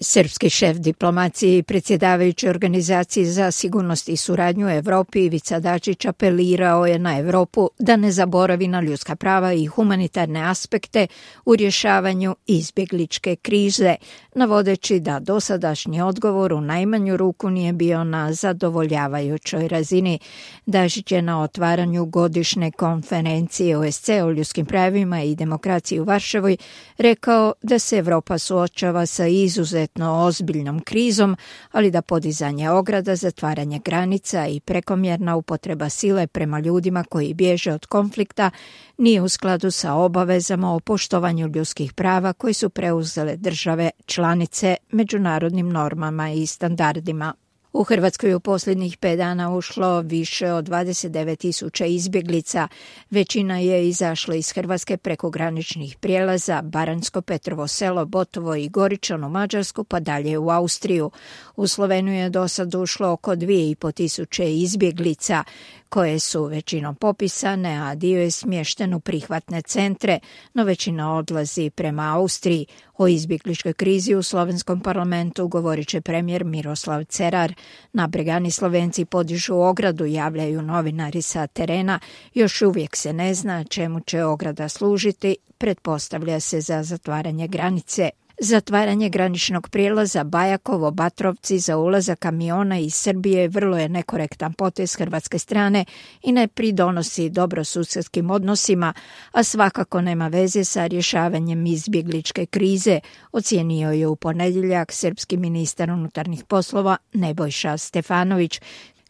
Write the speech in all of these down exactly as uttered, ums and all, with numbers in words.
Srpski šef diplomacije i predsjedavajući Organizaciji za sigurnost i suradnju u Europi Ivica Dačić apelirao je na Europu da ne zaboravi na ljudska prava i humanitarne aspekte u rješavanju izbjegličke krize, navodeći da dosadašnji odgovor u najmanju ruku nije bio na zadovoljavajućoj razini. Dačić je na otvaranju godišnje konferencije O S C E o ljudskim pravima i demokraciji u Varšavoj rekao da se Europa suočava sa izuzetno ozbiljnom krizom, ali da podizanje ograda, zatvaranje granica i prekomjerna upotreba sile prema ljudima koji bježe od konflikta nije u skladu sa obavezama o poštovanju ljudskih prava koji su preuzele države članice međunarodnim normama i standardima. U Hrvatskoj u posljednjih pet dana ušlo više od dvadeset devet tisuća izbjeglica. Većina je izašla iz Hrvatske preko graničnih prijelaza Baranjsko, Petrovo Selo, Botovo i Goričan u Mađarsku pa dalje u Austriju. U Sloveniju je do sad ušlo oko dvije i po tisuće izbjeglica koje su većinom popisane, a dio je smješten u prihvatne centre, no većina odlazi prema Austriji. O izbjegličkoj krizi u slovenskom parlamentu govorit će premijer Miroslav Cerar. Nabregani Slovenci podižu ogradu, javljaju novinari sa terena. Još uvijek se ne zna čemu će ograda služiti, pretpostavlja se za zatvaranje granice. Zatvaranje graničnog prijelaza Bajakovo Batrovci za ulazak kamiona iz Srbije vrlo je nekorektan potez hrvatske strane i ne pridonosi dobrosusjedskim odnosima, a svakako nema veze sa rješavanjem izbjegličke krize, ocijenio je u ponedjeljak srpski ministar unutarnjih poslova Nebojša Stefanović.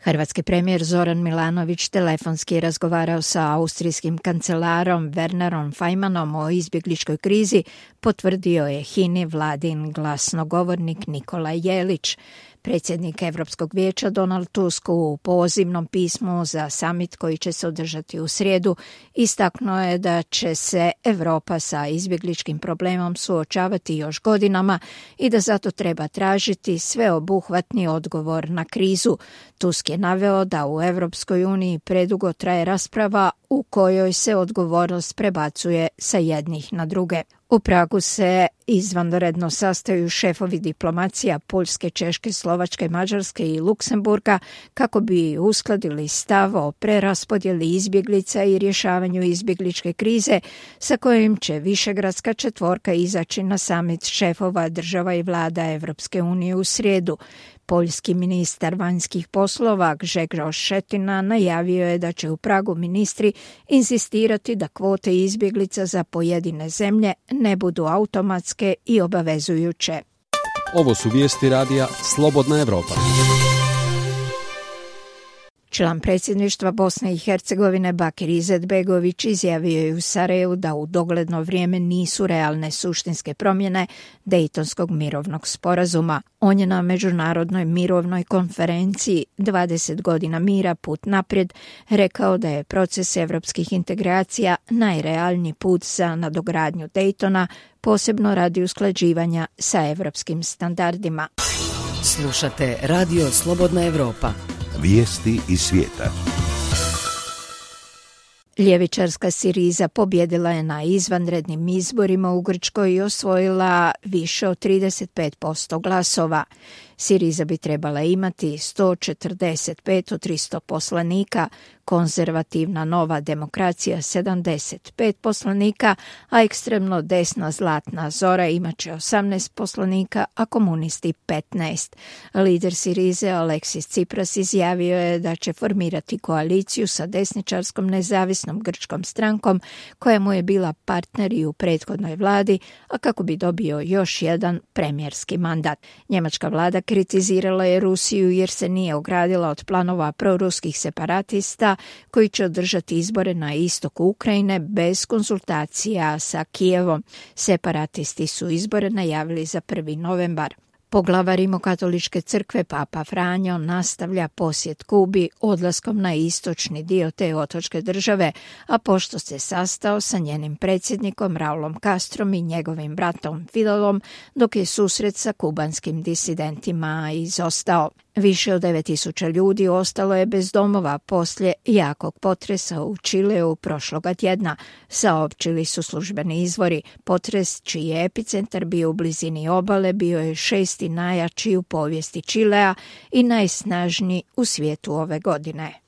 Hrvatski premijer Zoran Milanović telefonski razgovarao sa austrijskim kancelarom Wernerom Fajmanom o izbjegličkoj krizi, potvrdio je H I N I vladin glasnogovornik Nikola Jelić. Predsjednik Europskog vijeća Donald Tusk u pozivnom pismu za samit koji će se održati u srijedu istaknuo je da će se Europa sa izbjegličkim problemom suočavati još godinama i da zato treba tražiti sveobuhvatni odgovor na krizu. Tusk je naveo da u Europskoj uniji predugo traje rasprava u kojoj se odgovornost prebacuje sa jednih na druge. U Pragu se izvanredno sastaju šefovi diplomacija Poljske, Češke, Slovačke, Mađarske i Luksemburga kako bi uskladili stav o preraspodjeli izbjeglica i rješavanju izbjegličke krize sa kojim će Višegradska četvorka izaći na samit šefova država i vlada Europske unije u srijedu. Poljski ministar vanjskih poslova Grzegorz Schetina najavio je da će u Pragu ministri inzistirati da kvote izbjeglica za pojedine zemlje ne budu automatske i obavezujuće. Ovo su vijesti radija Slobodna Europa. Član predsjedništva Bosne i Hercegovine Bakir Izetbegović izjavio je u Sarajevu da u dogledno vrijeme nisu realne suštinske promjene Dejtonskog mirovnog sporazuma. On je na međunarodnoj mirovnoj konferenciji dvadeset godina mira put naprijed rekao da je proces evropskih integracija najrealniji put za nadogradnju Dejtona, posebno radi usklađivanja sa evropskim standardima. Slušate Radio Slobodna Europa. Vijesti iz svijeta. Ljevičarska Siriza pobjedila je na izvanrednim izborima u Grčkoj i osvojila više od trideset pet posto glasova. Siriza bi trebala imati sto četrdeset pet od tristo poslanika, konzervativna Nova demokracija sedamdeset pet poslanika, a ekstremno desna Zlatna Zora imat će osamnaest poslanika, a komunisti petnaest. Lider Sirize Aleksis Tsipras izjavio je da će formirati koaliciju sa desničarskom nezavisnom grčkom strankom koja mu je bila partner i u prethodnoj vladi, a kako bi dobio još jedan premijerski mandat. Njemačka vlada kritizirala je Rusiju jer se nije ogradila od planova proruskih separatista koji će održati izbore na istoku Ukrajine bez konsultacija sa Kijevom. Separatisti su izbore najavili za prvi novembar. Poglavar Rimokatoličke crkve Papa Franjo nastavlja posjet Kubi odlaskom na istočni dio te otočke države, a pošto se sastao sa njenim predsjednikom Raulom Castrom i njegovim bratom Fidelom, dok je susret sa kubanskim disidentima izostao. Više od devet tisuća ljudi ostalo je bez domova poslije jakog potresa u Čileu prošloga tjedna, saopćili su službeni izvori. Potres, čiji je epicentar bio u blizini obale, bio je šesti najjači u povijesti Čilea i najsnažniji u svijetu ove godine.